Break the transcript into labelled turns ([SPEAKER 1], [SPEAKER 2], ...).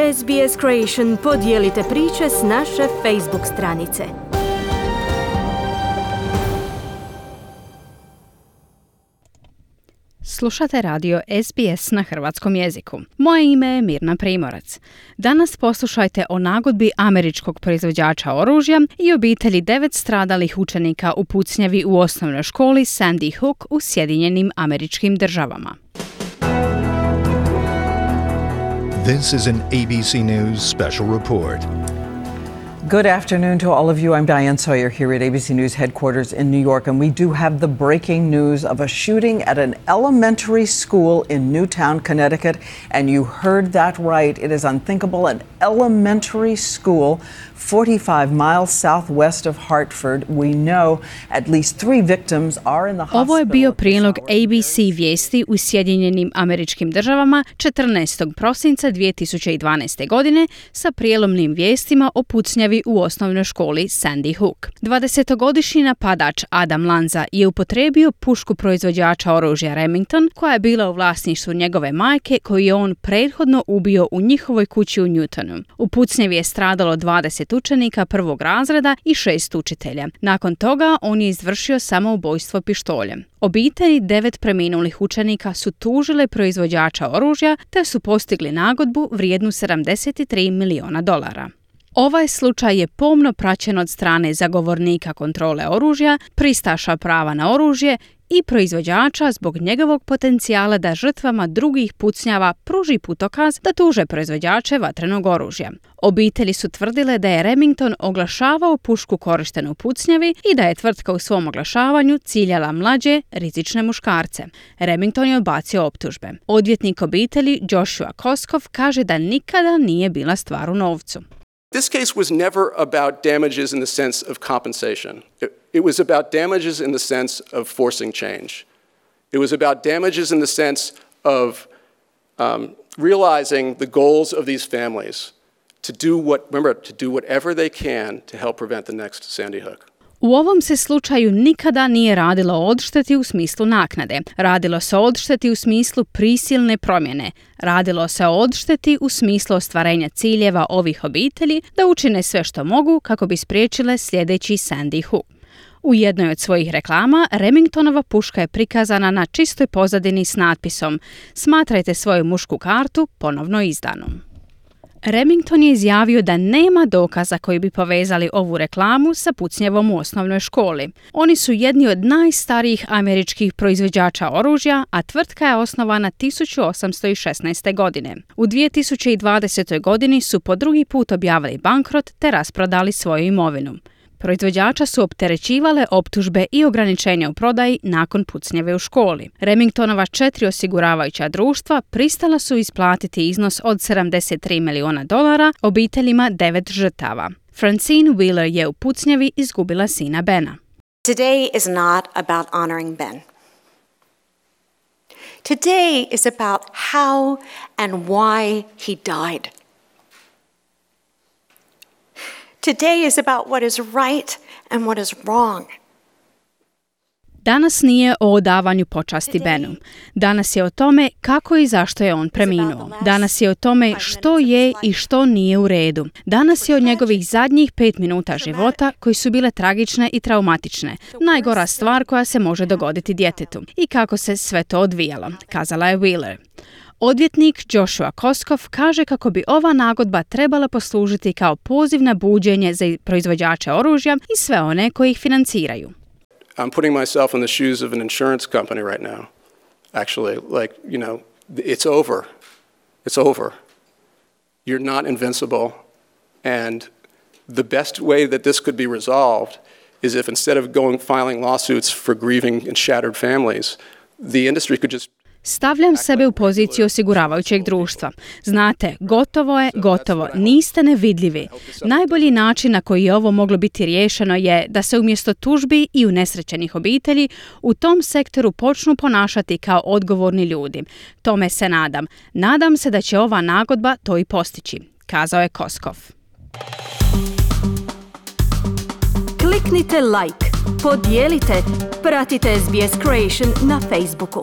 [SPEAKER 1] SBS Creation podijelite priče s naše Facebook stranice.
[SPEAKER 2] Slušate radio SBS na hrvatskom jeziku. Moje ime je Mirna Primorac. Danas poslušajte o nagodbi američkog proizvođača oružja i obitelji 9 stradalih učenika u pucnjavi u osnovnoj školi Sandy Hook u Sjedinjenim Američkim Državama.
[SPEAKER 3] This is an ABC News special report.
[SPEAKER 4] Good afternoon to all of you. I'm Diane Sawyer here at ABC News headquarters in New York, and we do have the breaking news of a shooting at an elementary school in Newtown, Connecticut. And you heard that right. It is unthinkable. An elementary school 45 miles southwest of Hartford. We know at least 3 victims are in the hospital.
[SPEAKER 2] Ovo je bio prilog ABC vijesti u Sjedinjenim Američkim Državama 14. prosinca 2012. godine sa prijelomnim vijestima o pucnjavi u osnovnoj školi Sandy Hook. 20-godišnji napadač Adam Lanza je upotrijebio pušku proizvođača oružja Remington, koja je bila u vlasništvu njegove majke, koju je on prethodno ubio u njihovoj kući u Newtonu. U pucnjavi je stradalo 20 učenika prvog razreda i 6 učitelja. Nakon toga on je izvršio samoubojstvo pištoljem. Obitelji 9 preminulih učenika su tužile proizvođača oružja te su postigli nagodbu vrijednu $73 miliona. Ovaj slučaj je pomno praćen od strane zagovornika kontrole oružja, pristaša prava na oružje i proizvođača zbog njegovog potencijala da žrtvama drugih pucnjava pruži putokaz da tuže proizvođače vatrenog oružja. Obitelji su tvrdile da je Remington oglašavao pušku korištenu u pucnjavi i da je tvrtka u svom oglašavanju ciljala mlađe, rizične muškarce. Remington je odbacio optužbe. Odvjetnik obitelji Joshua Koskov kaže da nikada nije bila stvar u novcu.
[SPEAKER 5] This case was never about damages in the sense of compensation. It was about damages in the sense of forcing change. It was about damages in the sense of realizing the goals of these families to do whatever they can to help prevent the next Sandy Hook.
[SPEAKER 2] U ovom se slučaju nikada nije radilo o odšteti u smislu naknade. Radilo se o odšteti u smislu prisilne promjene. Radilo se o odšteti u smislu ostvarenja ciljeva ovih obitelji da učine sve što mogu kako bi spriječile sljedeći Sandy Hook. U jednoj od svojih reklama Remingtonova puška je prikazana na čistoj pozadini s natpisom "Smatrajte svoju mušku kartu ponovno izdanom". Remington je izjavio da nema dokaza koji bi povezali ovu reklamu sa pucnjavom u osnovnoj školi. Oni su jedni od najstarijih američkih proizvođača oružja, a tvrtka je osnovana 1816. godine. U 2020. godini su po drugi put objavili bankrot te rasprodali svoju imovinu. Proizvođača su opterećivale optužbe i ograničenja u prodaji nakon pucnjave u školi. Remingtonova 4 osiguravajuća društva pristala su isplatiti iznos od $73 miliona obiteljima 9 žrtava. Francine Wheeler je u pucnjavi izgubila sina Bena.
[SPEAKER 6] Today is not about honoring Ben. Today is about how and why he died. Today is about what is right and what is wrong.
[SPEAKER 2] Danas nije o odavanju počasti Benu. Danas je o tome kako i zašto je on preminuo. Danas je o tome što je i što nije u redu. Danas je o njegovih zadnjih 5 minuta života koji su bile tragične i traumatične. Najgora stvar koja se može dogoditi djetetu. I kako se sve to odvijalo, kazala je Wheeler. Odvjetnik Joshua Koskov kaže kako bi ova nagodba trebala poslužiti kao poziv na buđenje za proizvođače oružja i sve one koji ih financiraju.
[SPEAKER 5] I'm putting myself in the shoes of an insurance company right now. Actually, it's over. It's over. You're not invincible. And the best way that this could be resolved is if instead of filing lawsuits for grieving and shattered families, the industry could just
[SPEAKER 2] Stavljam sebe u poziciju osiguravajućeg društva. Znate, gotovo je, gotovo, niste nevidljivi. Najbolji način na koji je ovo moglo biti riješeno je da se umjesto tužbi i unesrećenih obitelji u tom sektoru počnu ponašati kao odgovorni ljudi. Tome se nadam. Nadam se da će ova nagodba to i postići, kazao je Koskov.
[SPEAKER 1] Kliknite like, podijelite, pratite SBS Creation na Facebooku.